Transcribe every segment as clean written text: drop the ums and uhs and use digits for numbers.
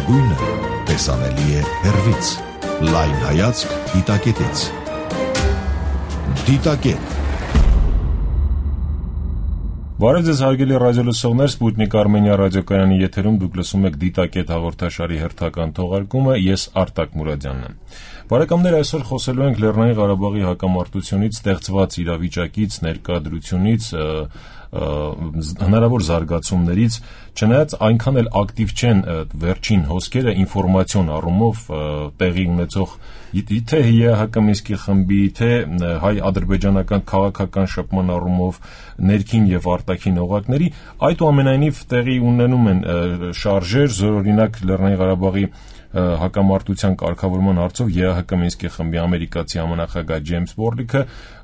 լավագույնը տեսանելի է հեռվից։ Լայն հայացք դիտակետից։ Դիտակետ։ Բարև ձեզ հարգելի ռադիոլսողներ, Սպուտնիկ Արմենիա ռադիոկայանի եթերում դուք լսում եք Դիտակետ հաղորդաշարի հերթական թողարկումը, ես Արտակ Մուրադյանն եմ։ Բարեկամներ, այսօր խոսելու ենք Լեռնային Ղարաբաղի հակամարտությունից ստեղծված իրավիճակից, ներկայացությունից, հնարավոր զարգացումներից, չնայած այնքան էլ ակտիվ չեն վերջին հոսքերը ինֆորմացիոն առումով տեղի ունեցող թե ՀՀԿ Մինսկի խմբի, թե հայ-ադրբեջանական քաղաքական շփման առումով ներքին եւ արտաքին օղակների, այդուամենայնիվ տեղի ունենում են շարժեր, զորօրինակ Լեռնային Ղարաբաղի հակամարտության կարգավորման հարցով ԵԱՀԿ Մինսկի խմբի ամերիկացի համանախագահ Ջեյմս Բորլիքը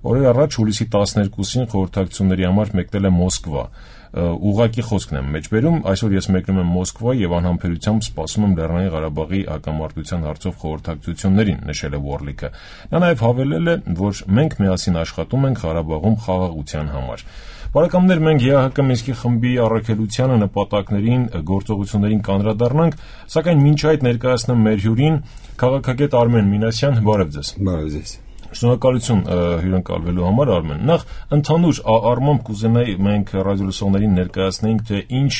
օրեր առաջ հուլիսի 12-ին խորհրդակցությունների համար մեկնել է Մոսկվա։ Ուղղակի խոսքն եմ մեջբերում, այսօր ես մեկնում եմ Մոսկվա եւ անհամբերությամբ սպասում եմ Լեռնային Ղարաբաղի հակամարտության հարցով խորհրդակցություններին, նշել է Բորլիքը։ Նա նաեւ հավելել է, որ մենք միասին աշխատում ենք Ղարաբաղում խաղաղության համար։ Բարեկամներ, մենք ԵԱՀԿ Մինսկի խմբի առաքելությանը, նպատակներին, գործողություններին կանդրադառնանք, սակայն մինչ այդ ներկայացնեմ մեր հյուրին, քաղաքագետ Արմեն Մինասյան, բարև ձեզ։ Բարև ձեզ։ Շնորհակալություն հյուրընկալվելու համար, Արմեն։ Նախ ընդհանուր առմամբ կուզենայի մենք ռադիոլսողներին ներկայացնենք, թե ինչ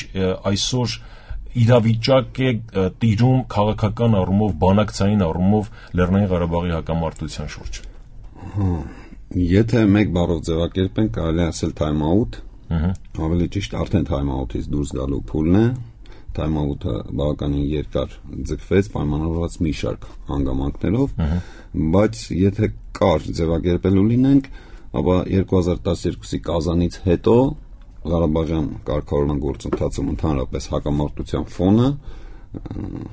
այսօր իրավիճակ է տիրում քաղաքական առումով, բանակցային առումով Լեռնային Ղարաբաղի հակամարտության շուրջ։ Եթե մեկ բառով ձևակերպենք, կարելի ասել time out, ավելի ճիշտ արդեն time out-ից դուրս գալու փուլն է։ Time out-ը բավականին երկար ձգվեց, պայմանավորված մի շարք հանգամանքներով, բայց եթե կար ձևակերպելու լինենք, ապա 2012-ի կազանից հետո Ղարաբաղյան կարգավորման գործընթացում ընդհանրապես հակամարտության ֆոնը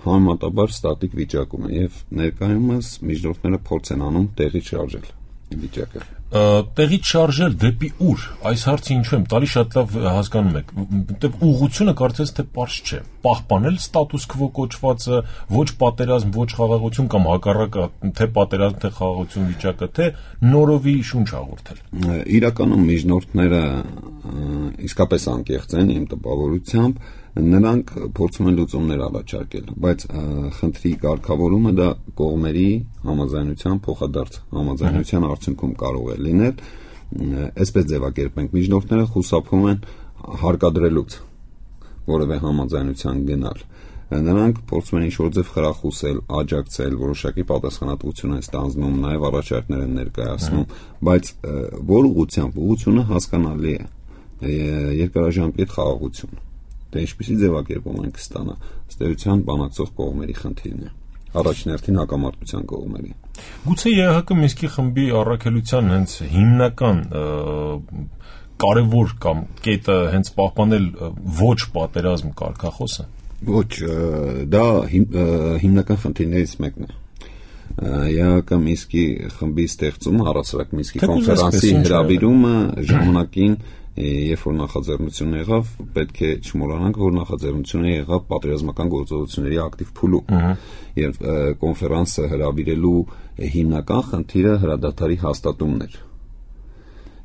համեմատաբար ստատիկ վիճակում է եւ ներկայումս միջնորդները փորձ են անում տեղից շարժել վիճակը։ Տեղից շարժել դեպի ուր, այս հարցը ինչու եմ տալի, շատ լավ հասկանում եք, որտեղ ուղղությունը կարծես թե պարզ չէ, պահպանել ստատուս քվո կոչվածը, ոչ պատերազմ, ոչ խաղաղություն կամ հակառակը, թե պատերազմ, թե խաղաղություն վիճակը, թե նորովի շունչ հաղորդել։ Իրականում միջնորդները իսկապես անկեղծ են իմ տպավորությամբ, նրանք փորձում են լուծումներ առաջարկել, բայց խնդրի կարգավորումը դա կողմերի համաձայնության փոխադարձ համաձայնության արդյունքում կարող է լինել, այսպես ձևակերպենք, միջնորդները խուսափում են հարկադրելուց որևէ համաձայնության գնալ, նրանք փորձում են ինչ-որ ձև խրախուսել, աջակցել, որոշակի պատասխանատվություն են ստանձնում, նաև առաջարկներ են ներկայացնում, բայց որ ուղղությունը հասկանալի է, երկարաժամկետ խաղաղություն։ Դե ինչպիսի ձևակերպում ենք ստանա, ըստ էության բանակցող կողմերի խնդիրն է, առաջնորդին հակամարտության կողմերի։ Գուցե ԵԱՀԿ Մինսկի խմբի առաքելության հենց հիմնական կարևոր կամ կետը հենց պահպանել ոչ պատերազմ կարգախոսը։ Ոչ, դա հիմնական խնդիրներից մեկն է։ ԵԱՀԿ Մինսկի խմբի ստեղծումը, առասարակ Մինսկի կոնֆերանսի հրավիրումը ժամանակին երբ որ նախաձեռնությունը եղավ, պետք է չմոռանանք, որ նախաձեռնությունը եղավ պատերազմական գործողությունների ակտիվ փուլում, եւ կոնֆերանսը հրավիրելու հիմնական խնդիրը հրադադարի հաստատումն էր։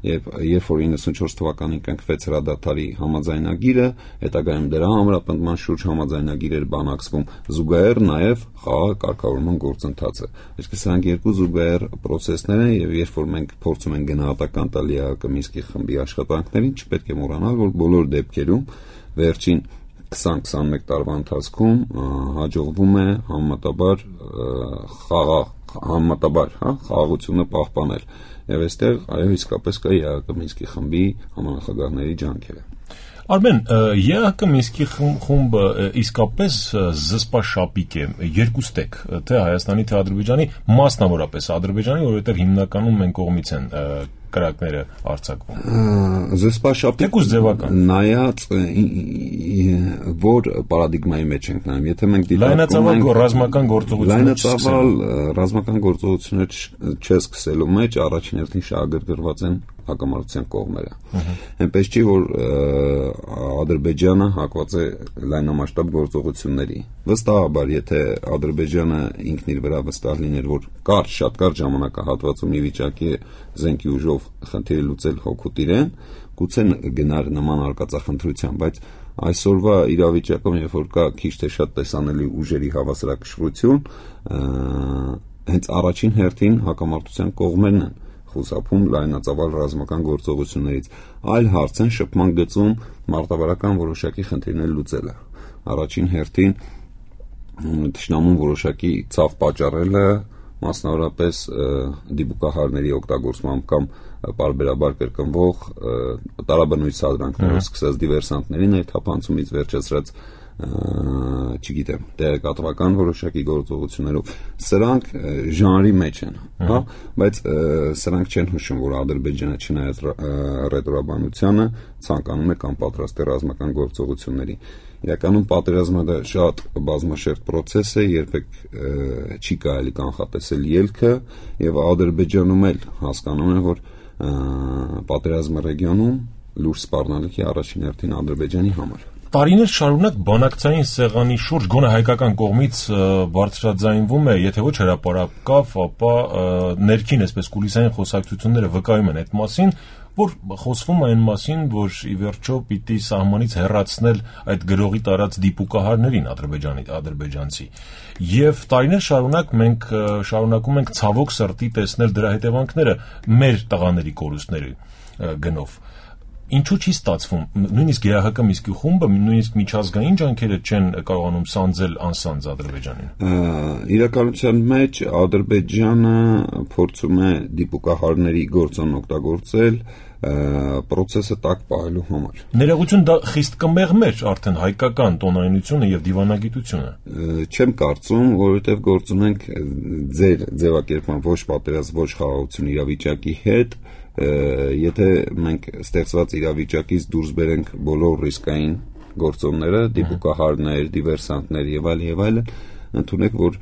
Երբ որ 94 թվականին կնքվեց հրադադարի համաձայնագիրը, հետագայում դրա ամրապնդման շուրջ համաձայնագիր էր բանակցվում, զուգահեռ նաև խաղաղ կարգավորման գործընթացը։ Իսկ սրանք երկու զուգահեռ պրոցեսներ են, եւ երբ որ մենք փորձում ենք գնահատական տալ ԵԱՀԿ Մինսկի խմբի աշխատանքներին, չպետք է մոռանալ, որ բոլոր դեպքերում վերջին 20-21 տարվա ընթացքում հաջողվում է համեմատաբար խաղաղությունը պահպանել։ Եվ այստեղ այո իսկապես կա ԵԱՀԿ Մինսկի խմբի համանախագահների ջանքերը։ Արմեն, ԵԱՀԿ Մինսկի խումբը իսկապես զսպաշապիկ է երկուստեք, թե Հայաստանի, թե Ադրբեջանի, մասնավորապես Ադրբեջանի, որովհետև հիմնականում մենք կողմից են կրակները արձակվում։ Զսպաշապիկ թեկուզ ձևական նայած որ պարադիգմայի մեջ ենք նայում, եթե մենք լայնածավալ ռազմական գործողություններ չէ սկսելու մեջ առաջին հերթին շահագրգռված են հակամարտության կողմերը։ Այնպես չի, որ Ադրբեջանը հակված է լայնամասշտաբ գործողությունների։ Վստահաբար, եթե Ադրբեջանը ինքն իր վրա վստահ լիներ, որ շատ կարճ ժամանակահատվածում ի վիճակի է զենքի ուժով խնդիրը լուծել հօգուտ իրեն, գուցե գնար նման արկածախնդրության, բայց այսօրվա իրավիճակում, երբ որ կա քիչ թե շատ տեսանելի ուժերի հավասարակշռություն, հենց առաջին հերթին հակամարտության կողմերն են խուսափում լայնածավալ ռազմական գործողություններից, այլ հարց են շփման գծում մարտավարական որոշակի խնդիրներ լուծելը։ Առաջին հերթին թշնամուն որոշակի ցավ պատճառելը, մասնավորապես դիպուկահարների օգտագործմամբ կամ պարբերաբար կրկնվող տարաբնույթ սադրանքներով սկսած դիվերսանտների ներթափանցումից վերջացրած չգիտեմ, տեղեկատվական որոշակի գործողություններով, սրանք ժանրի մեջ են, հա, բայց սրանք չեն հուշում, որ Ադրբեջանը չնայած ռետորաբանությանը ցանկանում է կամ պատրաստ է ռազմական գործողությունների։ Իրականում պատերազմը դա շատ բազմաշերտ process է, երբեք չի կարելի կանխատեսել ելքը, եւ Ադրբեջանում էլ հասկանում են, որ պատերազմը ռեգիոնում լուրջ սպառնալիք է առաջին հերթին Ադրբեջանի համար։ Տարիներ շարունակ բանակցային սեղանի շուրջ գոնե հայկական կողմից բարձրաձայնվում է, եթե ոչ հրապարակավ, ապա ներքին այսպես կուլիսային խոսակցությունները վկայում են այդ մասին, որ խոսվում է այն մասին, որ ի վերջո պիտի սահմանից հեռացնել այդ գրողի տարած դիպուկահարներին ադրբեջանցի։ Եվ տարիներ շարունակ մենք շարունակում ենք ցավոք սրտի տեսնել դրա հետևանքները մեր տղաների կորուստների գնով։ Ինչու չի ստացվում, նույնիսկ ԵԱՀԿ Միսկի խումբը, նույնիսկ միջազգային ջանքերը չեն կարողանում սանձել անսանձ Ադրբեջանին։ Իրականության մեջ Ադրբեջանը փորձում է դիպուկահարների գործոն օգտագործել process-ը տակ պահելու համար։ Ներողություն, դա խիստ կմեղմեր արդեն հայկական տոնայնությունը եւ դիվանագիտությունը։ Չեմ կարծում, որովհետեւ գործ ունենք ձեր ձևակերպման ոչ պատերազմ, ոչ խաղաղություն իրավիճակի հետ, եթե մենք ստեղծված իրավիճակից դուրս բերենք բոլոր ռիսկային գործոնները, դիպուկահարներ, դիվերսանտներ եւ այլն, ընդունեք, որ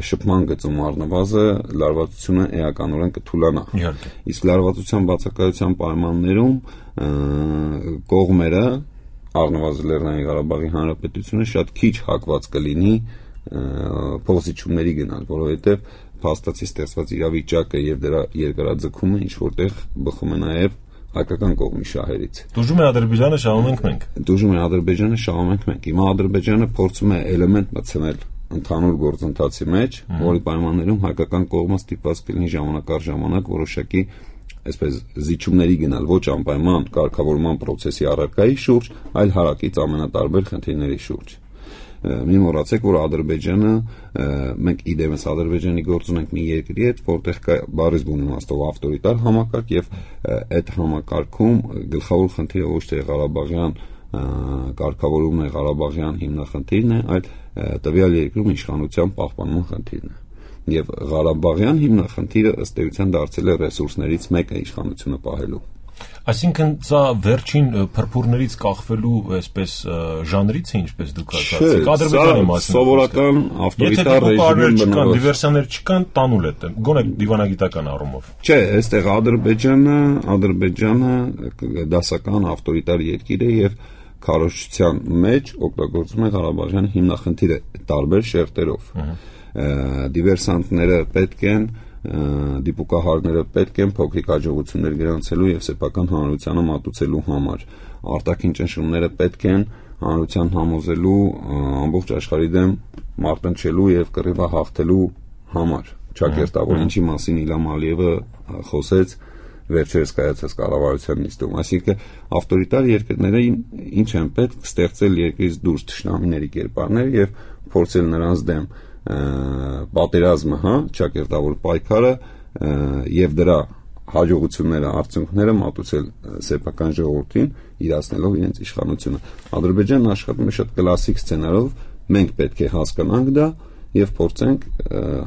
շփման գծում առնվազը լարվածությունը էականորեն կթուլանա։ Իսկ լարվածության բացակայության պայմաններում կողմերը, առնվազն Լեռնային Ղարաբաղի Հանրապետությունը շատ քիչ հակված կլինի փոխզիջումների գնալ, որովհետեւ փաստացի ստեղծված իրավիճակը եւ դրա երկարաձգումը ինչ որտեղ բխում է նաեւ հայկական կողմի շահերից։ Դժում է Ադրբեջանը, շահում ենք մենք։ Դժում է Ադրբեջանը, շահում ենք մենք։ Հիմա Ադրբեջանը փորձում է էլեմենտ մտցնել ընդհանուր գործընթացի մեջ, որի պայմաններում հայկական կողմը ստիպված կլինի ժամանակ առ ժամանակ որոշակի այսպես զիջումների գնալ, ոչ անպայման կարգավորման process-ի առարկայի շուրջ, այլ հարակից ամենատարբեր խնդիրների շուրջ։ Մի մոռացեք, որ Ադրբեջանը, մենք իդեմս Ադրբեջանի գործ ունենք մի երկրի հետ, որտեղ կա բառից բուն իմաստով ավտորիտար համակարգ եւ այդ համակարգում գլխավոր խնդիրը ոչ թե Ղարաբաղյան կարգավորումն է, Ղարաբաղյան հիմնախնդիրն է, այլ տվյալ երկրում իշխանության պահպանման խնդիրն է։ Եվ Ղարաբաղյան հիմնախնդիրը ըստ էության դարձել է ռեսուրսներից մեկը իշխանությունը պահելու։ Այսինքն սա վերջին փրփուրներից կախվելու այսպես ժանրից է, ինչպես դուք ասացիք, Ադրբեջանի մասին։ Սովորական ավտորիտար ռեժիմի բնորոշ դիվերսիաներ չկան, տանուլ է, գոնե դիվանագիտական առումով։ Չէ, այստեղ Ադրբեջանը դասական ավտորիտար երկիր է եւ քարոզչության մեջ օգտագործում է Ղարաբաղյան հիմնախնդիրը տարբեր շերտերով։ Դիվերսանտները պետք են, դիպուկահարները պետք են փոքրիկ հաջողություններ գրանցելու եւ սեփական հանրությանը մատուցելու համար։ Արտաքին ճնշումները պետք են հանրության համոզելու, ամբողջ աշխարհի դեմ մարտնչելու եւ կռիվը հաղթելու համար։ Չակերտավոր ինչի մասին Իլհամ Ալիևը խոսեց վերջերս կայացած կառավարության նիստում, այսինքն ավտորիտար երկրները ինչ են պետք ստեղծել երկրից դուրս թշնամիների կերպարներ եւ փորձել նրանց դեմ պատերազմը, հա, չակերտավոր պայքարը եւ դրա հաջողությունները, արդյունքները մատուցել սեփական ժողովրդին, իրացնելով իրենց իշխանությունը։ Ադրբեջանն աշխատում է շատ կլասիկ սցենարով, մենք պետք է հասկանանք դա եւ փորձենք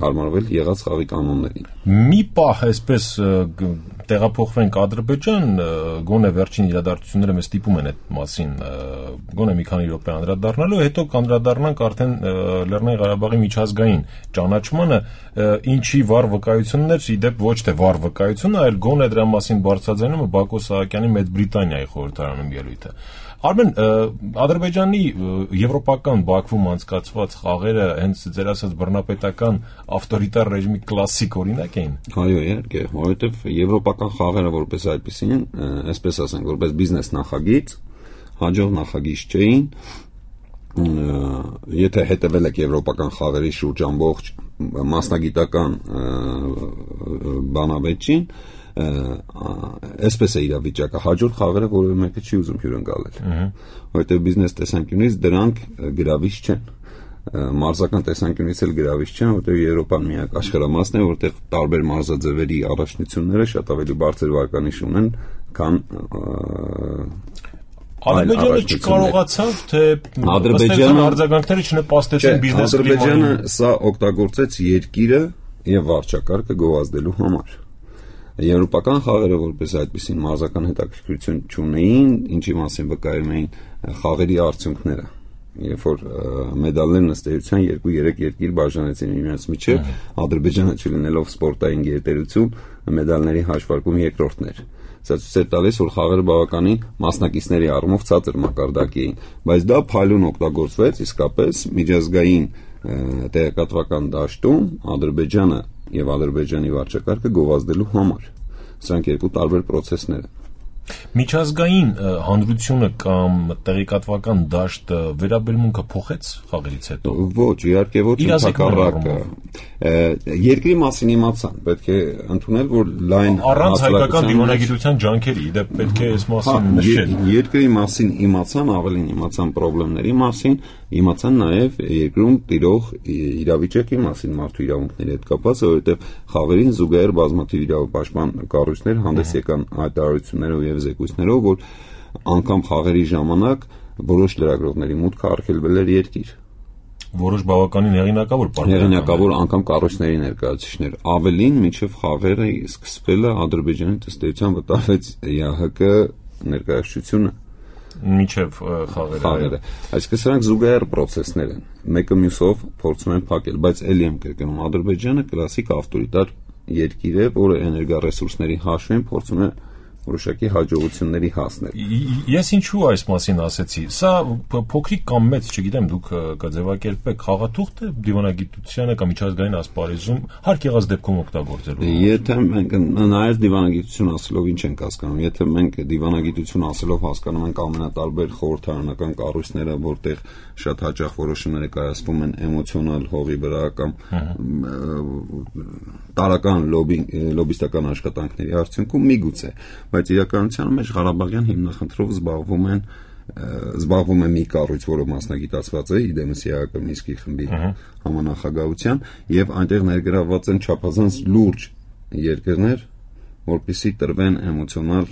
հարմարվել եղած խաղի կանոններին։ Մի պահ այսպես տեղափոխվենք Ադրբեջան, գոնե վերջին իրադարձությունները մեզ ստիպում են այդ մասին գոնե մի քանի րոպե անդրադառնալու, հետո կանդրադառնանք արդեն Լեռնային Ղարաբաղի միջազգային ճանաչմանը, ինչի վառ վկայություններ, ի դեպ ոչ թե վառ վկայությունը, այլ գոնե դրա մասին բարձրաձայնումը Բակո Սահակյանի Մեծ Բրիտանիայի խորհրդարանում ելույթը։ Արմեն, Ադրբեջանի եվրոպական Բաքվում անցկացված խաղերը հենց ձեր ասած բռնապետական ավտորիտար ռեժիմի կլասիկ օրինակ էին։ Այո, իհարկե, որովհետև եվրոպական խաղերը որպես այդպեսին, այսպես ասենք, որպես բիզնես նախագիծ, հաջող նախագիծ չէին, եթե հետևել եք եվրոպական խաղերի շուրջ ամբողջ մասնագիտական բանավեճին, այսպես է իրավիճակը, հաջորդ խաղերը որևէ մեկը չի ուզում հյուրընկալել, որովհետև բիզնես տեսանկյունից դրանք գրավիչ չեն, մարզական տեսանկյունից էլ գրավիչ չեն, որովհետև Եվրոպան միակ աշխարհամասն է, որտեղ տարբեր մարզաձևերի առաջնությունները շատ ավելի բարձր վարկանիշ ունեն, քան Ադրբեջանը չկարողացավ, թե Ադրբեջանը արձագանքները չնպաստեցին բիզնես կլիմային։ Ադրբեջանը սա օգտագործեց երկիրը եւ վարչակարգը գովազդելու համար։ Եվրոպական խաղերը որպես այդպիսին մարզական հետաքրքրություն չունեին, ինչի մասին վկայում էին խաղերի արդյունքները։ Երբ որ մեդալներն ըստ էության 2-3 երկիր բաժանեցին իրենց միջև, Ադրբեջանը չլինելով սպորտային գերտերություն, մեդալների հաշվարկում երկրորդն էր։ Սա ցույց է տալիս, որ խաղերը բավականին մասնակիցների առումով ցածր մակարդակի էին, բայց դա փայլուն օգտագործվեց իսկապես միջազգային տեղեկատվական դաշտում Ադրբեջանը եւ Ադրբեջանի վարչակարգը գովազդելու համար։ Սրանք երկու տարբեր process-ներ են։ Միջազգային հանրությունը կամ տեղեկատվական դաշտը վերաբերմունքը փոխեց խաղերից հետո։ Ոչ, իհարկե ոչ, ընդհակառակը։ Երկրի մասին իմացան, պետք է ընդունել, որ լայն առանց հայկական դիվանագիտության ջանքերի, դա պետք է այս մասին նշել։ Երկրի մասին իմացան, ավելին իմացան խնդիրների մասին, իմացան նաև երկրում տիրող իրավիճակի մասին, մարդու իրավունքների հետ կապված, որովհետև խաղերին զուգահեռ բազմաթիվ իրավապաշտպան կառույցներ հանդես եկան հայտարարություններով եւ զեկույցներով, որ անգամ խաղերի ժամանակ որոշ լրագրողների մուտքը արգելվել էր երկիր։ Որոշ բավականին հեղինակավոր անգամ կառույցների ներկայացուցիչներ։ Ավելին, մինչև խաղերը սկսվելը Ադրբեջանի ըստ էության վտարվեց ԵԱՀԿ ներկայացությունը մինչև խաղերը։ Այսինքն սրանք զուգահեռ process-ներ են։ Մեկը մյուսով փորձում են փակել, բայց ելի եմ կրկնում, Ադրբեջանը կլասիկ ավտորիտար երկիր է, որը էներգառեսուրսների հաշվին փորձում է որոշակի հաջողությունների հասնել։ Ես ինչու այս մասին ասեցի։ Սա փոքրիկ կամ մեծ, չգիտեմ, դուք կձևակերպեք խաղաթուղթ է դիվանագիտությանը կամ միջազգային ասպարեզում հարկ եղած դեպքում օգտագործելու։ Եթե մենք նայած դիվանագիտություն ասելով ինչ ենք հասկանում, եթե մենք դիվանագիտություն ասելով հասկանում ենք ամենատարբեր խորհրդարանական կառույցները, որտեղ շատ հաճախ որոշումները կայացվում են էմոցիոնալ հողի վրա կամ տարական լոբիստական աշխատանքների արդյունքում միգուցե, բայց իրականության մեջ Ղարաբաղյան հիմնախնդրով զբաղվում է մի կառույց, որը մասնագիտացված է իդեմս ԵԱՀԿ Մինսկի խմբի համանախագահության, եւ այնտեղ ներգրավված են չափազանց լուրջ երկրներ, որպեսզի տրվեն էմոցիոնալ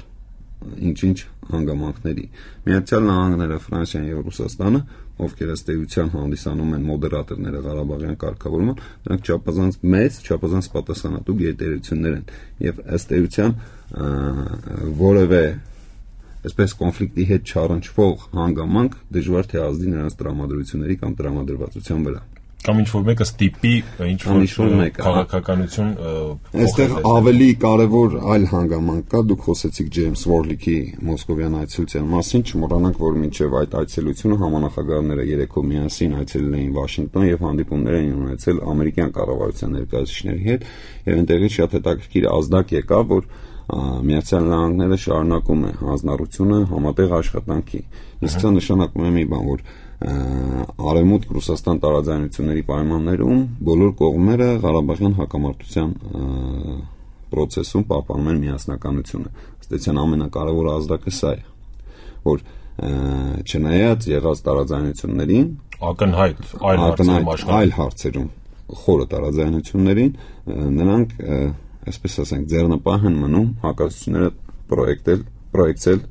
ինչ-ինչ հանգամանքների։ Միացյալ Նահանգները, Ֆրանսիան եւ Ռուսաստանը, ովքեր ըստ էության հանդիսանում են մոդերատորները Ղարաբաղյան կարգավորման, նրանք չափազանց մեծ, չափազանց պատասխանատու գերտերություններ են եւ ըստ էության որևէ այսպես կոնֆլիկտի հետ չառնչվող հանգամանք դժվար թե ազդի նրանց տրամադրությունների կամ տրամադրվածության վրա։ Կամ ինչ-որ մեկը ստիպի ինչ-որ քաղաքականություն այստեղ ավելի կարևոր այլ հանգամանք կա, դուք խոսեցիք Ջեյմս Վորլիքի մոսկովյան այցելության մասին, չմոռանանք, որ մինչև այդ այցելությունը համանախագահները երեքով միասին այցելել էին Վաշինգտոն եւ հանդիպումներ էին ունեցել ամերիկյան կառավարության ներկայացուցիչների հետ, եւ այնտեղից շատ հետաքրքիր ազդակ եկավ, որ Միացյալ Նահանգները շարունակում է հանձնառությունը համատեղ աշխատանքի։ Իսկ սա նշանակում է մի բան, որ Արևմուտք Ռուսաստան տարաձայնությունների պայմաններում բոլոր կողմերը Ղարաբաղյան հակամարտության process-ում պահպանում են միասնականությունը։ Ըստ էության ամենակարևոր ազդակը սա է, որ չնայած եղած տարաձայնություններին, ակնհայտ այլ հարցերում խորը տարաձայնություններին, նրանք այսպես ասենք ձեռնպահ են մնում հակասությունները պրոյեկտել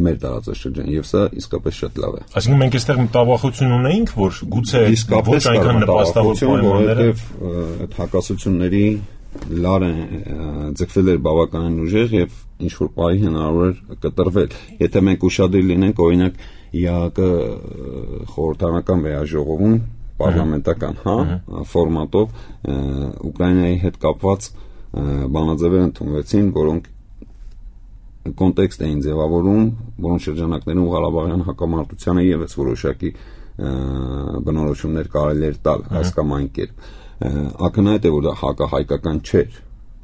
մեր տարածաշրջան եւ սա իսկապես շատ լավ է։ Այսինքն մենք այստեղ մտավախություն ունեինք, որ գուցե ոչ այնքան նպաստավոր պայմանները այդ հակասությունների լարը ձգվել էր բավականին ուժեղ եւ ինչ որ պահի հնարավոր էր կտրվել։ Եթե մենք ուշադիր լինենք, օրինակ ԵԱՀԿ խորհրդարանական վեաժողովում պարլամենտական ֆորմատով Ուկրաինայի հետ կապված բանաձևեր ընդունվեցին, որոնք կոնտեքստ էին ձևավորում, որոնց շրջանակներում Ղարաբաղյան հակամարտությանը եւս որոշակի բնորոշումներ կարելի էր տալ այս կամ այն կերպ։ Ակնհայտ է, որ դա հակահայկական չէր,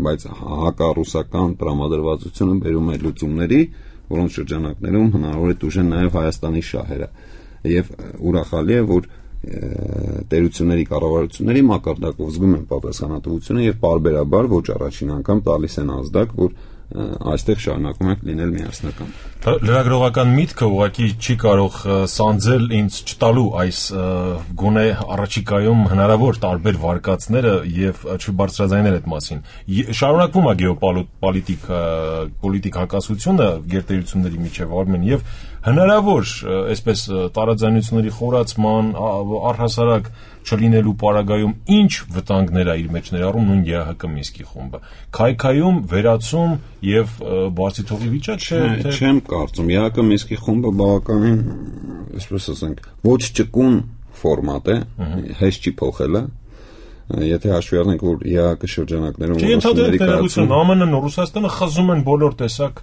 բայց հակառուսական տրամադրվածությունը բերում է լուծումների, որոնց շրջանակներում հնարավոր է տուժեն նաև Հայաստանի շահերը։ Եվ ուրախալի է, որ տերությունների կառավարությունների մակարդակով զգում են պատասխանատվությունը եւ պարբերաբար ոչ առաջին անգամ տալիս են ազդակ, որ այստեղ շարունակում եք լինել միասնական։ Լրագրողական միտքը ուղղակի չի կարող սանձել ինձ չտալու այս գոնե առաջիկայում հնարավոր տարբեր վարկածները եւ չբարձրաձայնել այդ մասին։ Շարունակվում է գեոպոլիտիկ հակասությունը գերտերությունների միջև արմեն եւ հնարավոր այսպես տարաձայնությունների խորացման առհասարակ չլինելու պարագայում ինչ վտանգներ է իր մեջ ներառում նույն ԵԱՀԿ Մինսկի խումբը։ Քայքայում, վերացում եւ բացի թողի վիճակ չէ, թե չեմ կարծում։ ԵԱՀԿ Մինսկի խումբը բավականին, այսպես ասենք, ոչ ճկուն ֆորմատ է, հեշտ չի փոխելը։ Եթե հաշվի առնենք, որ ԵԱՀԿ շրջանակներում որոշումների կայացում ԱՄՆ-ն ու Ռուսաստանը խզում են բոլոր տեսակ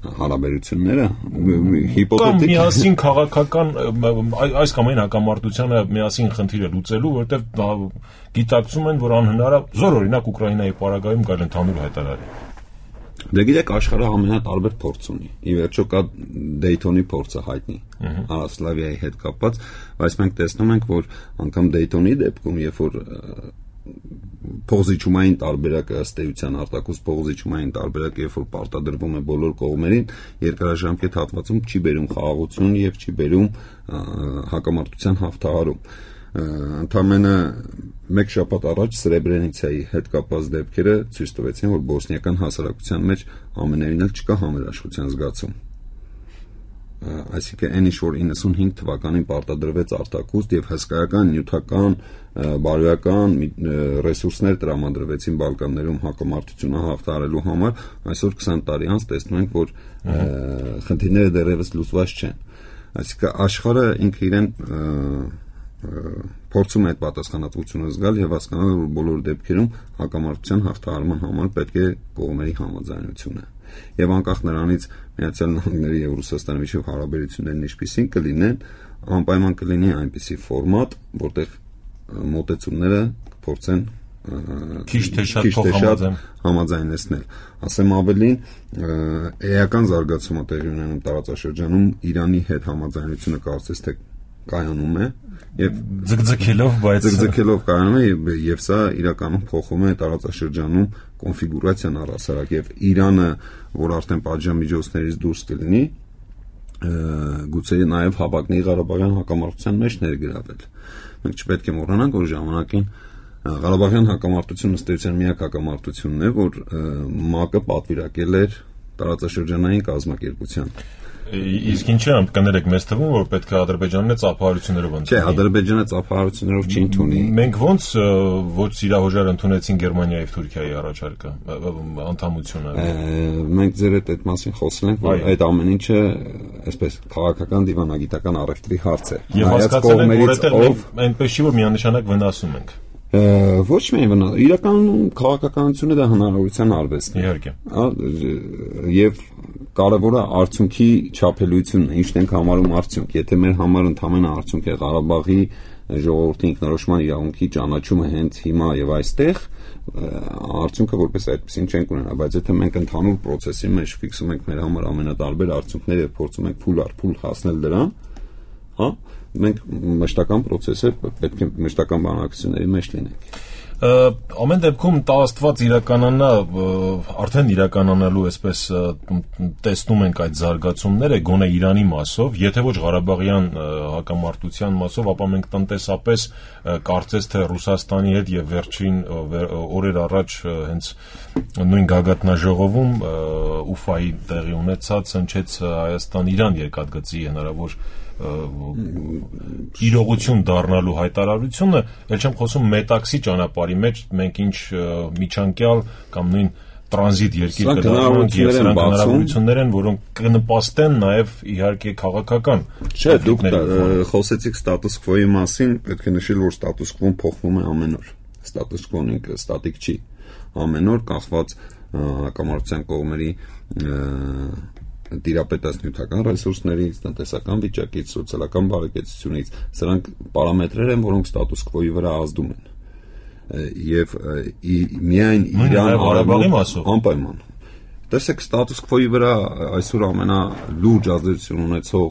հարաբերությունները հիպոթետիկ կամ միասին քաղաքական այս կամ այն հակամարտությանը միասին խնդիրը լուծելու, որովհետև գիտակցում են, որ անհնար է զորօրինակ Ուկրաինայի պարագայում գալ ընդհանուր հայտարարի։ Դե գիտեք, աշխարհը ամենատարբեր փորձ ունի։ Ի վերջո կա Դեյթոնի փորձը հայտնի Արասլավիայի հետ կապված, բայց մենք տեսնում ենք, որ անգամ Դեյթոնի դեպքում, երբ որ փողզիչումային տարբերակը ըստ էության արտակոս փողզիչումային տարբերակը, երբ որ պարտադրվում է բոլոր կողմերին, երկարաժամկետ հատվածում չի բերում խաղաղություն եւ չի բերում հակամարտության հաղթահարում։ Ընդամենը մեկ շաբաթ առաջ Սրեբրենիցայի հետ կապված դեպքերը ցույց տվեցին, որ բոսնիական հասարակության մեջ ամենևին էլ չկա համերաշխության զգացում։ Այսինքն այն ինչ որ 95 թվականին պարտադրվեց արտակուստ եւ հսկայական նյութական բարոյական ռեսուրսներ տրամադրվեցին Բալկաններում հակամարտությունը հաղթահարելու համար, այսօր 20 տարի անց տեսնում ենք, որ խնդիրները դեռևս լուծված չեն։ Այսինքն աշխարհը ինքը իրեն փորձում է այդ պատասխանատվությունը զգալ եւ հասկանալ, որ բոլոր դեպքերում հակամարտության հաղթահարման համար պետք է կողմերի համաձայնությունը։ Եվ անկախ նրանից Միացյալ Նահանգների եւ Ռուսաստանի միջև հարաբերություններն ինչպիսին կլինեն, անպայման կլինի այնպիսի ֆորմատ, որտեղ մոտեցումները փորձեն քիչ թե շատ համաձայնեցնել։ Ասեմ ավելին, էական զարգացումը տեղի ունենում տարածաշրջանում Իրանի հետ համաձայնությունը կարծես թե կայանում է եւ ձգձգելով կայանում է եւ սա իրականում փոխում է տարածաշրջանում կոնֆիգուրացիան առհասարակ եւ Իրանը, որ արդեն պատժամիջոցներից դուրս կլինի, գուցե նաեւ Հապակնի Ղարաբաղյան հակամարտության մեջ ներգրավել։ Մենք չպետք է մոռանանք, որ ժամանակին Ղարաբաղյան հակամարտությունը ըստ էության միակ հակամարտությունն է, որ ՄԱԿ-ը պատվիրակել էր տարածաշրջանային կազմակերպության։ Իսկ ինչի՞ կներեք, մեզ թվում, որ պետք է Ադրբեջանն ծափահարություններով ընդունի։ Չէ, Ադրբեջանը ծափահարություններով չի ընդունի։ Մենք ոնց ոչ սիրահոժար ընդունեցին Գերմանիայի եւ Թուրքիայի առաջարկը, անդամությունը։ Մենք ձեր հետ այդ մասին խոսել ենք, որ այդ ամեն ինչը այսպես քաղաքական դիվանագիտական առևտրի հարց է։ Եվ հասկացել ենք, որովհետեւ այնպես չի, որ միանշանակ վնասում ենք։ Ոչ միայն վնաս, իրականում քաղաքականությունը դա հնարավորության արվեստն է։ Իհարկե։ Եվ կարևորը արդյունքի չափելույթունն է, ինչն ենք համարում արդյունք։ Եթե մեր համար ընդհանրապես արդյունք է Ղարաբաղի ժողովրդի ինքնորոշման իրավունքի ճանաչումը հենց հիմա եւ այստեղ, արդյունքը որպես այդպեսին չենք ունենա, բայց եթե մենք ընդհանուր process-ի մեջ ֆիքսում ենք մեր համար ամենատարբեր արդյունքները եւ փորձում ենք փուլ առ փուլ հասնել դրան, հա, մենք մշտական process-ը պետք է մշտական բանակցությունների մեջ լինենք։ Ամեն դեպքում տա Աստված իրականանա, արդեն իրականանալու այսպես տեսնում ենք այդ զարգացումները գոնե Իրանի մասով, եթե ոչ Ղարաբաղյան հակամարտության մասով, ապա մենք տնտեսապես կարծես թե Ռուսաստանի հետ եւ վերջին օրեր առաջ հենց նույն գագաթնաժողովում Ուֆայի տեղի ունեցած հնչեց Հայաստան-Իրան երկաթգծի հնարավոր իրողություն դառնալու հայտարարությունը, ել չեմ խոսում մետաքսի ճանապարհի մեջ մենք ինչ միջանկյալ կամ նույն տրանզիտ երկիր կդառնանք եւ սրանք հնարավորություններ են, որոնք կնպաստեն նաեւ իհարկե քաղաքական։ Չէ, դուք խոսեցիք ստատուս քվոյի մասին, պետք է նշել, որ ստատուս քվոն փոխվում է ամեն օր։ Ստատուս քվոն ինքը ստատիկ չի։ Ամեն օր կախված հակամարտության կողմերի տիրապետած նյութական ռեսուրսներից, տնտեսական վիճակից, սոցիալական բարեկեցությունից, սրանք պարամետրեր են, որոնք ստատուս քվոյի վրա ազդում են։ Եվ միայն Իրան Ղարաբաղի մասով անպայման։ Տեսեք, ստատուս քվոյի վրա այսօր ամենալուրջ ազդեցություն ունեցող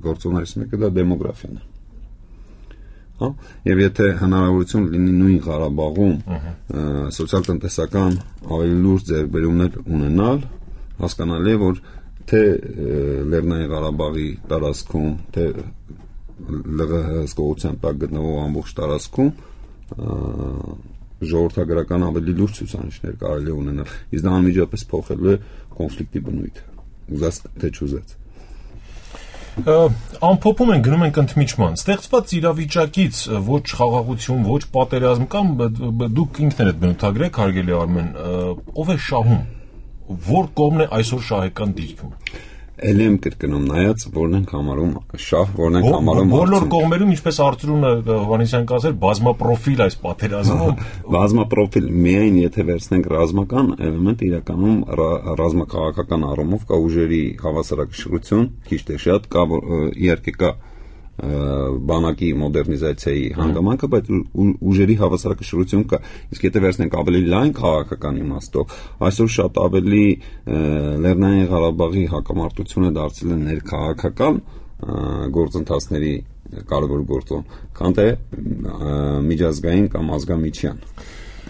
գործոններից մեկը դա դեմոգրաֆիան է։ Հա, եւ եթե հնարավորություն լինի նույն Ղարաբաղում սոցիալ-տնտեսական ավելի լուրջ ձեռքբերումներ ունենալ, հասկանալի է, որ թե Լեռնային Ղարաբաղի տարածքում, թե ԼՂՀ հսկողության տակ գտնվող ամբողջ տարածքում ժողովրդագրական ավելի լուրջ ցուցանիշներ կարելի է ունենալ, իսկ դա անմիջապես փոխելու է կոնֆլիկտի բնույթը, ուզած թե չուզած։ Ամփոփում են, գնում ենք ընդմիջման։ Ստեղծված իրավիճակից ոչ խաղաղություն, ոչ պատերազմ կամ դուք ինքներդ բնութագրեք, հարգելի Արմեն, ով է շահում, որ կողմն է այսօր շահեկան դիրքում։ Էլ եմ կրկնում, նայած որն ենք համարում շահ, որն ենք համարում բոլոր կողմերում, ինչպես Արծրունը Հովհաննիսյանն կասեր, բազմապրոֆիլ այս պատերազմում։ Բազմապրոֆիլ միայն եթե վերցնենք ռազմական էլեմենտ, իրականում ռազմաքաղաքական առումով կա ուժերի հավասարակշռություն, քիչ թե շատ, կա իհարկե կա բանակի մոդեռնիզացիայի հանգամանքը, բայց ուժերի հավասարակշռություն կա։ Իսկ եթե վերցնենք ավելի լայն քաղաքական իմաստով, այսօր շատ ավելի Լեռնային Ղարաբաղի հակամարտությունը դարձել է ներքաղաքական գործընթացների կարևոր գործոն, քան թե միջազգային կամ ազգամիջյան։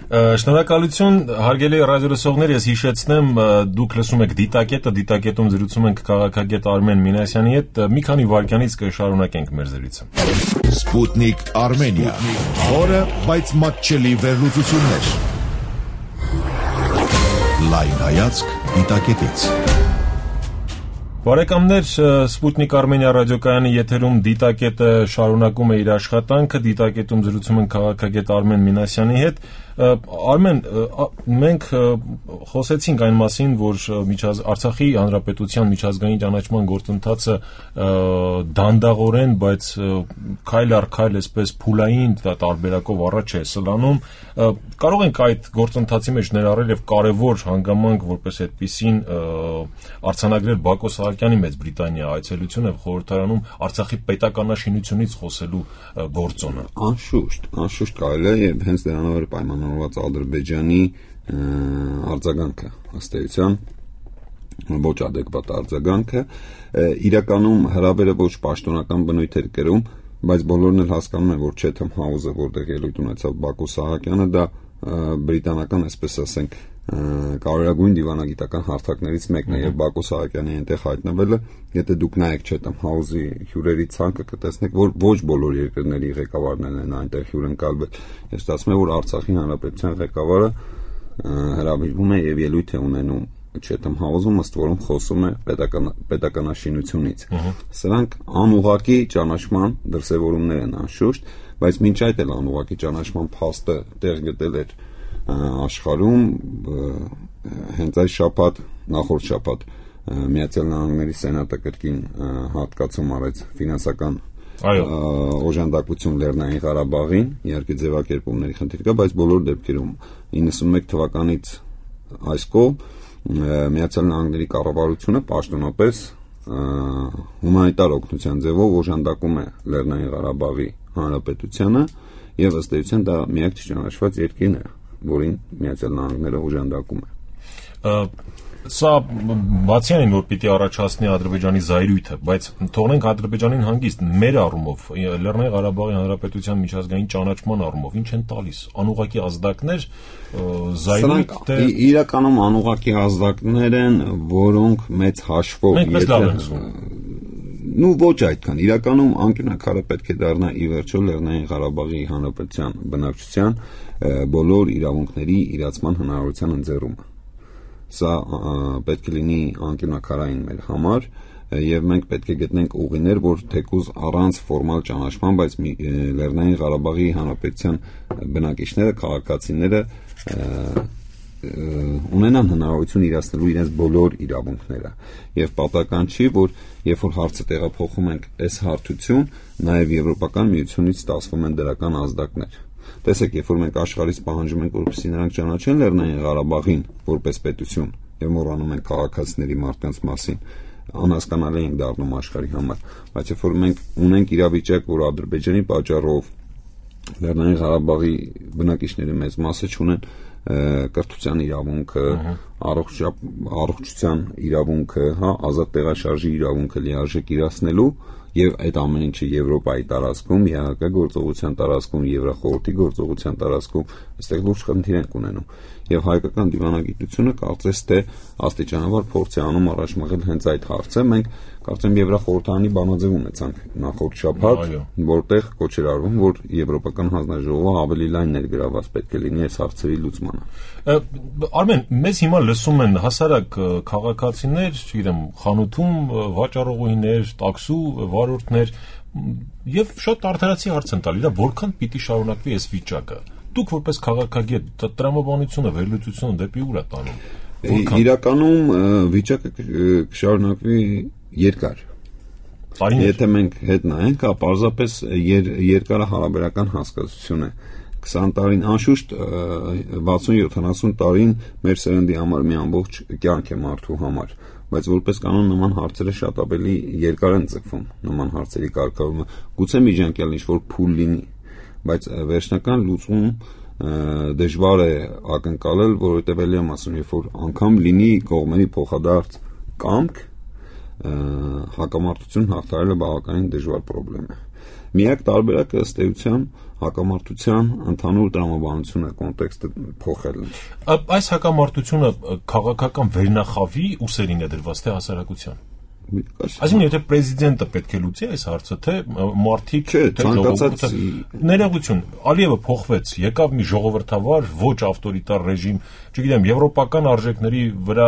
Շնորհակալություն, հարգելի ռադիոլսողներ, ես հիշեցնեմ, դուք լսում եք դիտակետում զրուցում ենք քաղաքագետ Արմեն Մինասյանի հետ, մի քանի վայրկյանից կշարունակենք մեր զրույցը։ Սպուտնիկ Արմենիա, խորը, բայց մատչելի վերլուծություններ։ Լայն հայացք դիտակետից։ Բարեկամներ, Սպուտնիկ Արմենիա ռադիոկայանի եթերում դիտակետը շարունակում է իր աշխատանքը, դիտակետում զրուցում են քաղաքագետ Արմեն Մինասյանի հետ։ Արմեն, մենք խոսեցինք այն մասին, որ Արցախի Հանրապետության միջազգային ճանաչման գործընթացը դանդաղորեն, բայց քայլ առ քայլ այսպես փուլային տարբերակով առաջ է սլանում։ Կարող ենք այդ գործընթացի մեջ ներառել եւ կարեւոր հանգամանք, որպես այդպիսին արձանագրել Բակո Սահակյանի Մեծ Բրիտանիա այցելությունը խորհրդարանում Արցախի պետականաշինությունից խոսելու գործոնը։ Անշուշտ կարելի է եւ հենց դրանով էր պայմանավորված Ադրբեջանի արձագանքը, ըստ էության ոչ adekvat արձագանքը, իրականում հրավերը ոչ պաշտոնական բնույթ էր կրում, բայց բոլորն էլ հասկանում են, որ Chatham House-ը, որտեղ ելույթ ունեցավ Բակո Սահակյանը, դա բրիտանական, այսպես ասենք, կարևորագույն դիվանագիտական հարթակներից մեկն է եւ Բակո Սահակյանի այնտեղ հայտնվելը, եթե դուք նայեք Chatham House-ի հյուրերի ցանկը կտեսնեք, որ ոչ բոլոր երկրների ղեկավարներն են այնտեղ հյուր ընկալվել։ Ես ստացվում է, որ Արցախի Հանրապետության ղեկավարը հրավիրվում է եւ ելույթ է ունենում Chatham House-ում, ըստ որում խոսում է պետականաշինությունից։ Սրանք անուղղակի ճանաչման դրսևորումներ են անշուշտ, բայց մինչ այդ էլ անուղղակի ճանաչման փաստը տեղ գտել էր աշխարհում հենց այս շաբաթ, նախորդ շաբաթ Միացյալ Նահանգների Սենատը կրկին հատկացում արեց ֆինանսական օժանդակություն Լեռնային Ղարաբաղին, իհարկե ձևակերպումների խնդիր կա, բայց բոլոր դեպքերում 91 թվականից այս կողմ Միացյալ Նահանգների կառավարությունը պաշտոնապես հումանիտար օգնության ձևով օժանդակում է Լեռնային Ղարաբաղի Հանրապետությանը եւ ըստ էության դա միակ չճանաչված երկիրն է, որին Միացյալ Նահանգները օժանդակում է։ Սա բացի այն, որ պիտի առաջացնի Ադրբեջանի զայրույթը, բայց թողնենք Ադրբեջանին հանգիստ, մեր առումով, Լեռնային Ղարաբաղի Հանրապետության միջազգային ճանաչման առումով, ինչ են տալիս, անուղղակի ազդակներ, զայրույթ, թե իրականում անուղղակի ազդակներ են, որոնք մեծ հաշվով ոչ այդքան, իրականում անկյունակարը պետք է դառնա ի վերջո Լեռնային Ղարաբաղի Հանրապետության բնակչության բոլոր իրավունքների իրացման հնարավորության ընձեռումը։ Սա պետք է լինի անկյունակարային մեր համար եւ մենք պետք է գտնենք ուղիներ, որ թեկուզ առանց ֆորմալ ճանաչման, բայց Լեռնային Ղարաբաղի Հանրապետության բնակիչները, քաղաքացիները ունենան հնարավորություն իրացնելու իրենց բոլոր իրավունքները եւ պատահական չի, որ երբ որ հարցը տեղափոխում ենք այս հարթություն, նաեւ Եվրոպական միությունից ստացվում են դրական ազդակներ։ Տեսեք, երբ որ մենք աշխարհից պահանջում ենք, որպեսզի նրանք ճանաչեն Լեռնային Ղարաբաղին որպես պետություն եւ մոռանում են քաղաքացիների մարդկանց մասին, անհասկանալի ենք դառնում աշխարհի համար, բայց երբ որ մենք ունենք իրավիճակ, որ Ադրբեջանի պատճառով Լեռնային Ղարաբաղի բնակիչների մեծ մասը չունեն կրթության իրավունքը, առողջության իրավունքը, հա, ազատ տեղաշարժի իրավունքը լիարժեք իրացնելու եւ այդ ամեն ինչը Եվրոպայի տարածքում, ԵԱՀԿ գործողության տարածքում, Եվրախորհրդի գործողության տարածքում, այստեղ լուրջ խնդիր են ունենում։ Եվ հայկական դիվանագիտությունը կարծես թե աստիճանաբար փորձ է անում առաջ մղել հենց այդ հարցը։ Մենք կարծեմ Եվրախորհրդանի բանաձև ունեցանք նախորդ շաբաթ, որտեղ կոչ էր արվում, որ Եվրոպական հանձնաժողովը ավելի լայն ներգրավված պետք է լինի այս հարցերի լուծմանը։ Արմեն, մեզ հիմա լսում են հասարակ քաղաքացիներ, չգիտեմ, խանութում վաճառողուհիներ, տաքսու վարորդներ եւ շատ արդարացի հարց են տալի, որքան պիտի շարունակվի այս վիճակը։ Դուք որպես քաղաքագետ տրամաբանությունը, վերլուծությունը դեպի ուր է տանում։ Իրականում վիճակը կշարունակվի երկար։ Եթե մենք հետ նայենք, պարզապես երկարը հարաբերական հասկացություն է։ 20 տարին, անշուշտ 60-70 տարին մեր սերնդի համար մի ամբողջ կյանք է մարդու համար, բայց որպես կանոն նման հարցերը շատ ավելի երկար են ձգվում, նման հարցերի կարգավորումը։ Գուցե միջանկյալ ինչ-որ փուլ լինի, բայց վերջնական լուծում դժվար է ակնկալել, որովհետև ելի եմ ասում, երբ որ անգամ լինի կողմերի փոխադարձ կամք, հակամարտություն հաղթահարելը բավականին դժվար պրոբլեմ է։ Միակ տարբերակը ըստ էության հակամարտության ընդհանուր տրամաբանությունը կոնտեքստը փոխելն է։ Այս հակամարտությունը քաղաքական վերնախավի ուսերին է դրված թե հասարակության։ Այսինքն եթե պրեզիդենտը պետք է լուծի այս հարցը, թե մարդիկ, թե ժողովուրդը, ներողություն, Ալիևը փոխվեց, եկավ մի ժողովրդավար, ոչ ավտորիտար ռեժիմ, չգիտեմ, եվրոպական արժեքների վրա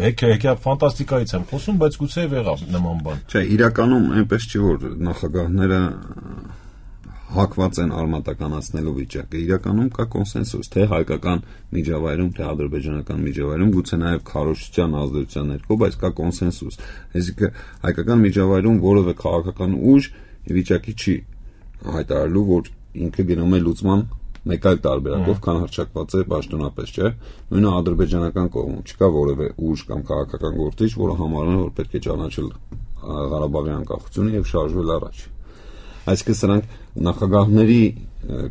հեքիաթ ֆանտաստիկայից եմ խոսում, բայց գուցե եղավ նման բան։ Չէ, իրականում այնպես չի, որ նախագահները հակված են արմատականացնելու վիճակը։ Իրականում կա կոնսենսուս, թե հայկական միջավայրում, թե ադրբեջանական միջավայրում, գուցե նաև քարոզչության ազդեցության ներքո, բայց կա կոնսենսուս։ Այսինքն հայկական միջավայրում որևէ քաղաքական ուժ վիճակի չի հայտարարելու, որ ինքը գնում է լուծման մեկ այլ տարբերակով, քան հռչակված է պաշտոնապես, չէ՞։ Նույնը ադրբեջանական կողմում չկա որևէ ուժ կամ քաղաքական գործիչ, որը համարում է, որ պետք է ճանաչել Ղարաբաղի անկախությունը եւ շարժվել առաջ։ Այսինքն սրանք նախագահների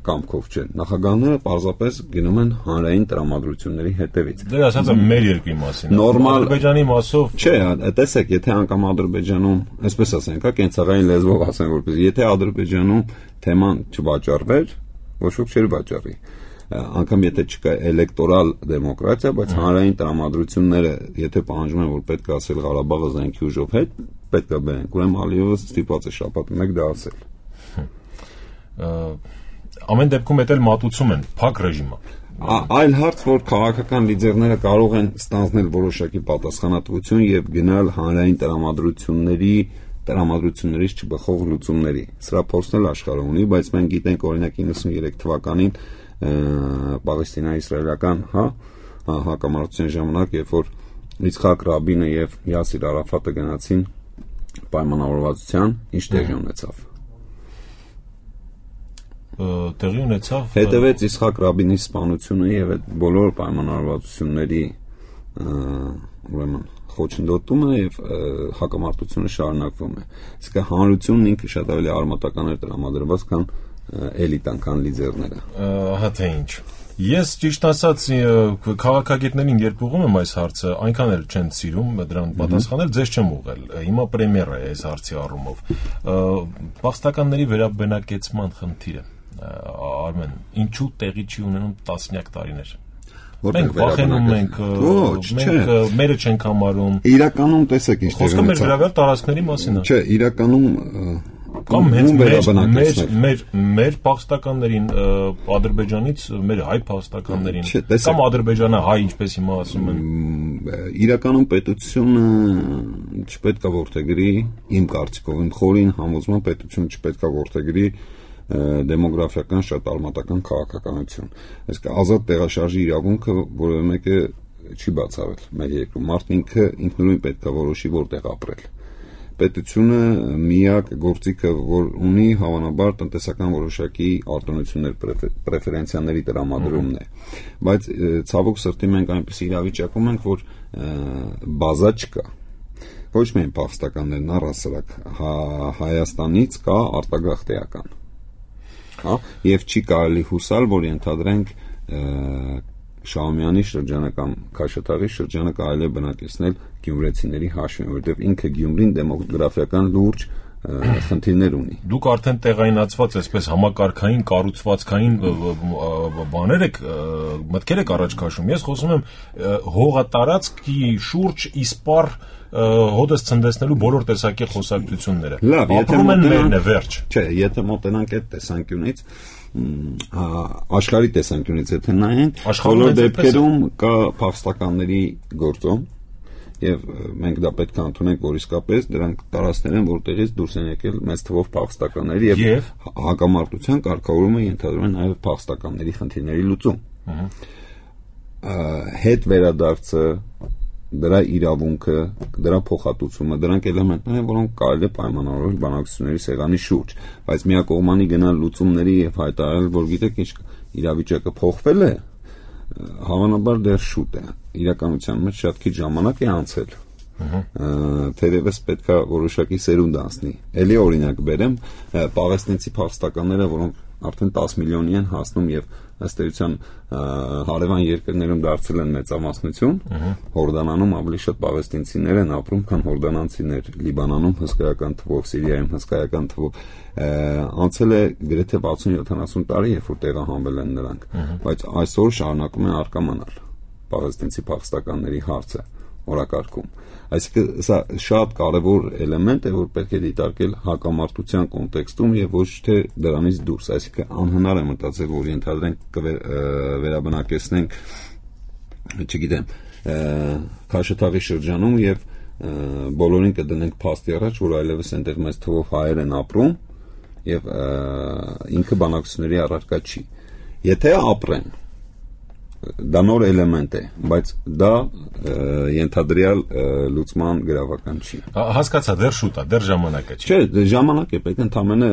կամքով չեն։ Նախագահները պարզապես գնում են հանրային տրամադրությունների հետևից։ Դե ասած եմ մեր երկրի մասին։ Նորմալ Ադրբեջանի մասով չէ, տեսեք, եթե անգամ Ադրբեջանում, այսպես ասենք, կենցաղային լեզվով ասեմ որպես, եթե Ադրբեջանում թեման չվաճառվեր, ոչ ոք չէր վաճառի։ Անգամ եթե չկա էլեկտորալ դեմոկրատիա, բայց հանրային տրամադրությունները, եթե պահանջում են, որ պետք է ասել Ղարաբաղը զենքի ուժով հետ, պետք է բերեն։ Ուրեմն Ալիևը ստիպված է շաբաթ մեկ դա ասել։ Ամեն դեպքում էլ մատուցում են փակ ռեժիմը։ Այլ հարց, որ քաղաքական լիդերները կարող են ստանձնել որոշակի պատասխանատվություն եւ գնալ հանրային տրամադրություններից չբխող լուծումների։ Սրա փորձն էլ աշխարհը ունի, բայց մենք գիտենք օրինակ 93 թվականին Պաղեստինա-իսրայելական հակամարտության ժամանակ, երբ որ Իցխակ Ռաբինը եւ Յասիր Արաֆատը գնացին պայմանավորվածության, ինչ տեղի ունեցավ։ Տեղի ունեցավ հետևեց Իցխակ Ռաբինի սպանությունը եւ այդ բոլոր պայմանավորվածությունների ուրեմն խոչընդոտումը եւ հակամարտությունը շարունակվում է։ Իսկ հանրությունն ինքը շատ ավելի արմատական էր տրամադրված, քան էլիտան, քան լիդերները։ Ահա թե ինչ։ Ես ճիշտ ասած քաղաքագետներին երբ ուղղում եմ այս հարցը, այնքան էլ չեն սիրում դրան պատասխանել, ձեզ չեմ ուղղել։ Հիմա պրեմիերա է այս հարցի առումով։ Փախստականների վերաբնակեցման խնդիրը, Արմեն, ինչու տեղի չի ունենում տասնյակ տարիներ։ Մենք վախենում ենք, մենք մերը չենք համարում։ Իրականում տեսեք ինչ խոսքը մեր գրավյալ տարածքների մասին է։ Չէ, իրականում կամ հենց մեր փախստականներին Ադրբեջանից մեր հայ փախստականներին կամ Ադրբեջանը հայ ինչպես հիմա ասում են իրականում պետությունը չպետք է որդեգրի իմ կարծիքով իմ խորին համոզման պետությունը չպետք է որդեգրի դեմոգրաֆիական շատ արմատական քաղաքականություն այսինքն ազատ տեղաշարժի իրավունքը որևէ մեկը չի բացառել մեր երկրում մարդն ինքնուրույն պետք է որոշի որտեղ ապրել պետությունը միակ գործիքը որ ունի հավանաբար տնտեսական որոշակի արտոնություններ պրեֆերենցիաների տրամադրումն է բայց ցավոք սրտի մենք այնպես իրավիճակում ենք որ բազա չկա ոչ միայն փախստականներն առհասարակ Հայաստանից կա արտագաղթեական եւ չի կարելի հուսալ որ ենթադրենք Շահումյանի շրջանական Քաշաթաղի շրջանը կարելի է բնակեցնել գյումրեցիների հաշվին, որովհետև ինքը Գյումրին դեմոգրաֆիական լուրջ խնդիրներ ունի։ Դուք արդեն տեղայնացված այսպես համակարգային կառուցվածքային բաներ եք մտքեր եք առաջ քաշում։ Ես խոսում եմ հողատարածքի շուրջ իսպառ հոդս ցնդեցնելու բոլոր տեսակի խոսակցությունները։ Լավ, ապրում են մերն է վերջ։ Չէ, եթե մոտենանք այդ տեսանկյունից, աշխարհի տեսանկյունից եթե նայենք, բոլոր դեպքերում կա փախստականների գործոն, եւ մենք դա պետք է ընդունենք, որ իսկապես դրանք տարածքներ են, որտեղից դուրս են եկել մեծ թվով փախստականներ եւ հակամարտության կարգավորումը ենթադրում է նաեւ փախստականների խնդիրների լուծում։ Հետ վերադարձը, դրա իրավունքը, դրա փոխհատուցումը, դրանք էլեմենտներ են, որոնք կարելի է պայմանավորել բանակցությունների սեղանի շուրջ, բայց միակողմանի գնալ լուծումների եւ հայտարարել, որ գիտեք ինչ իրավիճակը փոխվել է, հավանաբար դեռ շուտ է։ Իրականության մեջ շատ քիչ ժամանակ է անցել։ Թերևս պետք է որոշակի սերունդ անցնի։ Էլի օրինակ բերեմ, պաղեստինցի փախստականները, որոնք արդեն 10 միլիոնի են հասնում եւ ըստ էության հարևան երկրներում դարձել են մեծամասնություն, Հորդանանում ավելի շատ պաղեստինցիներ են ապրում, քան հորդանանցիներ, Լիբանանում հսկայական թվով, Սիրիայում հսկայական թվով, անցել է գրեթե 60-70 տարի, երբ որ տեղահանվել են նրանք, բայց այսօր շարունակում են առկա մնալ պաղեստինցի փախստականների հարցը օրակարգում։ Այսինքն սա շատ կարևոր էլեմենտ է, որ պետք է դիտարկել հակամարտության կոնտեքստում եւ ոչ թե դրանից դուրս։ Այսինքն անհնար է մտածել, որ ենթադրենք վերաբնակեցնենք, չգիտեմ, Քաշաթաղի շրջանում եւ բոլորին կդնենք փաստի առաջ, որ այլևս այնտեղ մեծ թվով հայեր են ապրում եւ ինքը բանակցությունների առարկա չի։ Եթե ապրեն, դա նոր էլեմենտ է, բայց դա ենթադրյալ լուծման գրավական չի։ Հասկացա, դեռ շուտ է, դեռ ժամանակ է չի։ Չէ, ժամանակ է, պետք է ընդամենը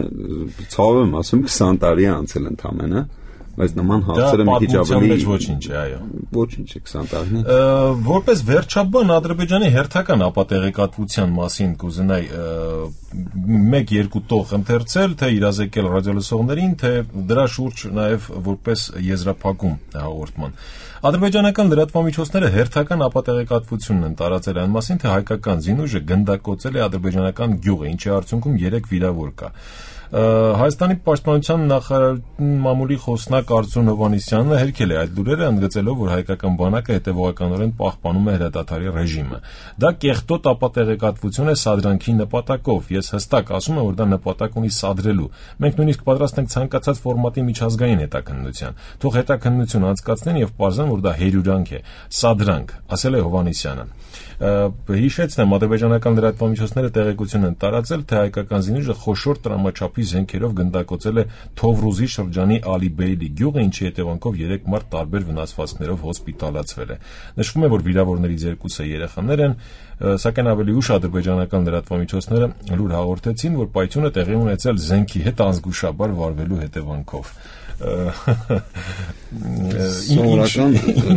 ցավ եմ ասում 20 տարի է անցել ընդամենը, բայց նման հարցերը մի քիչ ավելի ոչինչ է, այո։ Ոչինչ է 20 տարին։ Որպես վերջաբան Ադրբեջանի հերթական ապատեղեկատվության մասին կուզենայի 1-2 տող ընթերցել, թե իրազեկել ռադիոլսողներին, թե դրա շուրջ նաև որպես եզրափակում հաղորդման։ Ադրբեջանական լրատվամիջոցները հերթական ապատեղեկատվությունն են տարածել այն մասին, թե հայկական զինուժը գնդակոծել է ադրբեջանական գյուղը, ինչի արդյունքում 3 վիրավոր կա։ Հայաստանի պաշտպանության նախարարի մամուլի խոսնակ Արծրուն Հովհաննիսյանը հերքել է այդ լուրերը, ընդգծելով, որ հայկական բանակը հետևողականորեն պահպանում է հրադադարի ռեժիմը։ Դա կեղտոտ ապատեղեկատվություն է սադրանքի նպատակով։ Ես հստակ ասում եմ, որ դա նպատակ ունի սադրելու։ Մենք նույնիսկ պատրաստ ենք ցանկացած ֆորմատի միջազգային հետաքննության։ Թող հետաքննություն անցկացնեն եւ պարզեն, որ դա հերյուրանք է, սադրանք, ասել է Հովհաննիսյանը։ Հիշեցնեմ, ադրբեջանական լրատվամիջոցները տեղեկություն են տարածել, թե հայկական զինուժը խոշոր տրամաչափի զենքերով գնդակոծել է Թովրուզի շրջանի Ալիբեյլի գյուղը, ինչի հետևանքով 3 մարդ տարբեր վնասվածքներով հոսպիտալացվել է։ Նշվում է, որ վիրավորներից 2-ը երեխաներ են, սակայն ավելի ուշ ադրբեջանական լրատվամիջոցները լուր հաղորդեցին, որ պայթյունը տեղի ունեցել զենքի հետ անզգուշաբար վարվելու հետևանքով։ Սովորական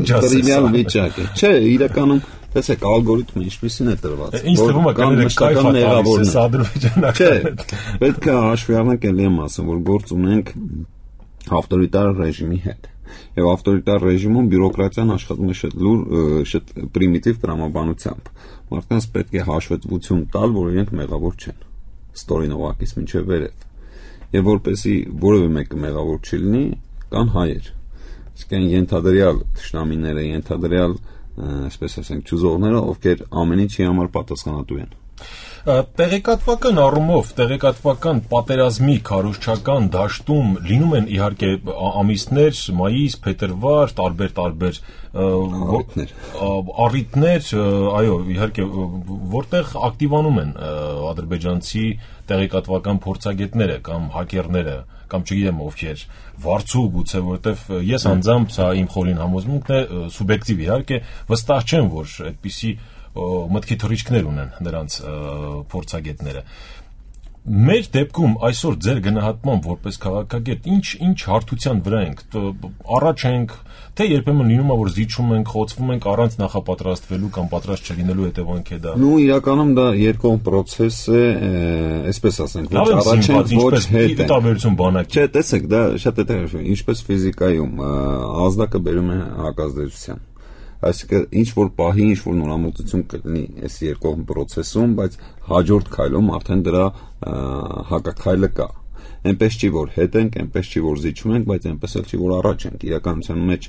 տրիվիալ վիճակ է։ Չէ, իրականում տեսեք ալգորիթմը ինչպեսին է տրված։ Ինչ թվում է կայֆա տալիս ադրբեջանական։ Չէ, պետք է հաշվի առնենք, ելի եմ ասում, որ գործ ունենք ավտորիտար ռեժիմի հետ։ Եվ ավտորիտար ռեժիմում բյուրոկրատիան աշխատում է շատ պրիմիտիվ տրամաբանությամբ։ Մարդկանց պետք է հաշվետվություն տալ, որ իրենք մեղավոր չեն։ Ստորին օղակից մինչև վերև։ Եվ որպեսի որևէ մեկը մեղավոր չլինի, կան հայեր։ Իսկ այն ենթադրյալ թշնամիները, ենթադրյալ, այսպես ասենք, ճուզողները, ովքեր ամեն ինչի համար պատասխանատու են։ Տեղեկատվական առումով, տեղեկատվական պատերազմի քարոզչական դաշտում լինում են իհարկե ամիսներ, մայիս, փետրվար, տարբեր առիթներ, այո, իհարկե, որտեղ ակտիվանում են ադրբեջանցի տեղեկատվական փորձագետները կամ հակերները, կամ չգիտեմ ովքեր, վարձու գուցե, որտեղ ես անձամբ սա իմ խորին համոզմունքն է, սուբյեկտիվ իհարկե, վստահ չեմ, որ այդպիսի մտքի թռիչքներ ունեն նրանց փորձագետները։ Մեր դեպքում այսօր ձեր գնահատմամբ որպես քաղաքագետ ինչ հարթության վրա ենք, առաջ ենք, թե երբեմն լինում է որ զիջում ենք, խոցվում ենք առանց նախապատրաստվելու կամ պատրաստ չլինելու հետևանք է դա։ Ну իրականում դա երկկողմ process է, այսպես ասենք, ոչ առաջ ենք, ոչ հետ է։ Տարբերություն բանակի։ Չէ, տեսեք, դա շատ հետաքրքիր է, ինչպես ֆիզիկայում ազդակը բերում է հակազդեցության։ Այսինքն ինչ որ պահի, ինչ որ նորամուծություն կլինի այս երկկողմ process-ում, բայց հաջորդ քայլում արդեն դրա հակաքայլը կա։ Այնպես չի որ հետ ենք, այնպես չի որ զիջում ենք, բայց այնպես էլ չի որ առաջ ենք։ Իրականության մեջ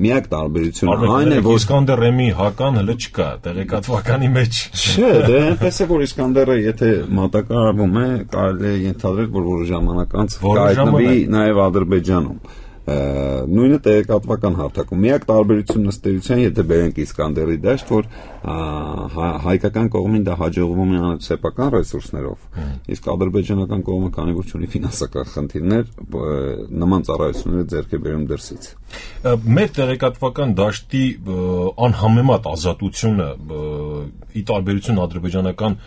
միակ տարբերությունը այն է, որ Իսկանդեր Ռեմի հական հələ չկա, տեղեկատվականի մեջ։ Չէ, դե այնպես է որ Իսկանդերը եթե մատակարարվում է, կարելի է ենթադրել, որ որոշ ժամանակ անց կհայտնվի նաև Ադրբեջանում։ Նույնը տեղեկատվական հարթակում։ Միակ տարբերությունն ըստ էության, եթե բերենք Իսկանդերի դաշտ, որ հայկական կողմին դա հաջողվում է անել սեփական ռեսուրսներով, իսկ ադրբեջանական կողմը քանի որ ունի ֆինանսական խնդիրներ, նման ծառայությունները ձեռք է բերում դրսից։ Մեր տեղեկատվական դաշտի անհամեմատ ազատությունը ի տարբերություն ադրբեջանական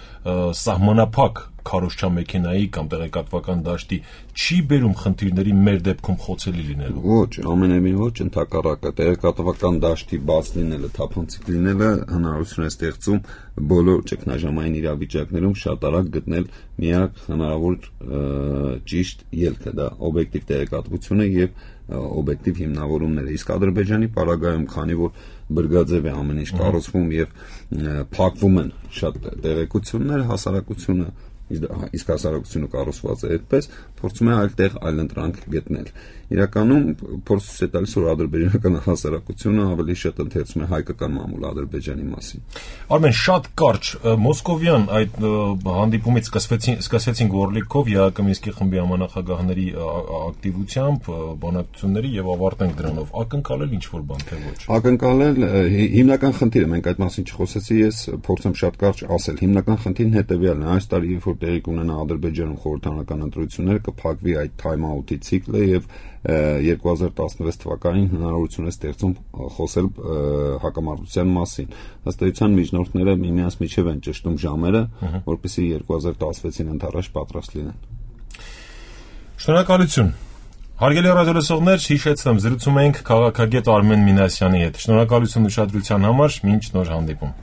սահմանափակ քարոզչամեքենայի կամ տեղեկատվական դաշտի չի բերում խնդիրների մեր դեպքում խոցելի լինելու։ Ոչ, ամենևին ոչ, ընդհակառակը տեղեկատվական դաշտի բաց լինելը, թափանցիկ լինելը հնարավորություն է ստեղծում բոլոր ճգնաժամային իրավիճակներում շատ արագ գտնել միակ հնարավոր ճիշտ ելքը, դա օբյեկտիվ տեղեկատվությունը եւ օբյեկտիվ հիմնավորումները։ Իսկ Ադրբեջանի պարագայում, քանի որ բրգաձև է ամեն ինչ կառուցվում եւ փակվում են շատ տեղեկություններ, հասարակությունը իսկ հասարակությունը կառուցված է այդպես, փորձում է այլտեղ այլընտրանք գտնել։ Իրականում փորձ է տալիս, որ ադրբեջանական հասարակությունը ավելի շատ ընթերցում է հայկական մամուլ Ադրբեջանի մասին։ Արմեն, շատ կարճ Մոսկովյան այդ հանդիպումից սկսեցինք Օրլիկով, ԵԱԿ Մինսկի խմբի համանախագահների ակտիվությամբ, բանակցությունների եւ ավարտենք դրանով։ Ակնկալել ինչ-որ բան թե ոչ։ Ակնկալել հիմնական խնդիրը, մենք այդ մասին չխոսեցի, ես փորձեմ շատ կարճ ասել։ Հիմնական խնդիրն հետեւյալն է, այս տարի երբ որ տեղի կունենա Ադրբեջանում խորհրդարանական ընտրությունները, կփակվի այդ թայմ-աութի ցիկլը եւ 2016 թվականին հնարավորություն է ստեղծում խոսել հակամարտության մասին։ Ըստ էության միջնորդները միմյանց միջև են ճշտում ժամերը, որպեսզի 2016-ին ընդառաջ պատրաստ լինեն։ Շնորհակալություն։ Հարգելի ռադիոլսողներ, հիշեցնեմ, զրուցում ենք քաղաքագետ Արմեն Մինասյանի հետ։ Շնորհակալություն ուշադրության համար, մինչ նոր հանդիպում։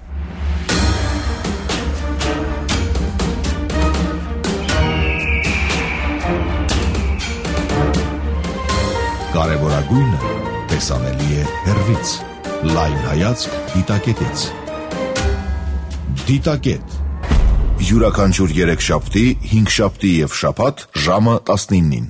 Կարևորագույնը տեսանելի է հեռվից։ Լայն հայացք դիտակետից։ Դիտակետ։ Յուրաքանչյուր 3 շաբթի, 5 շաբթի եւ շաբաթ ժամը 19-ին։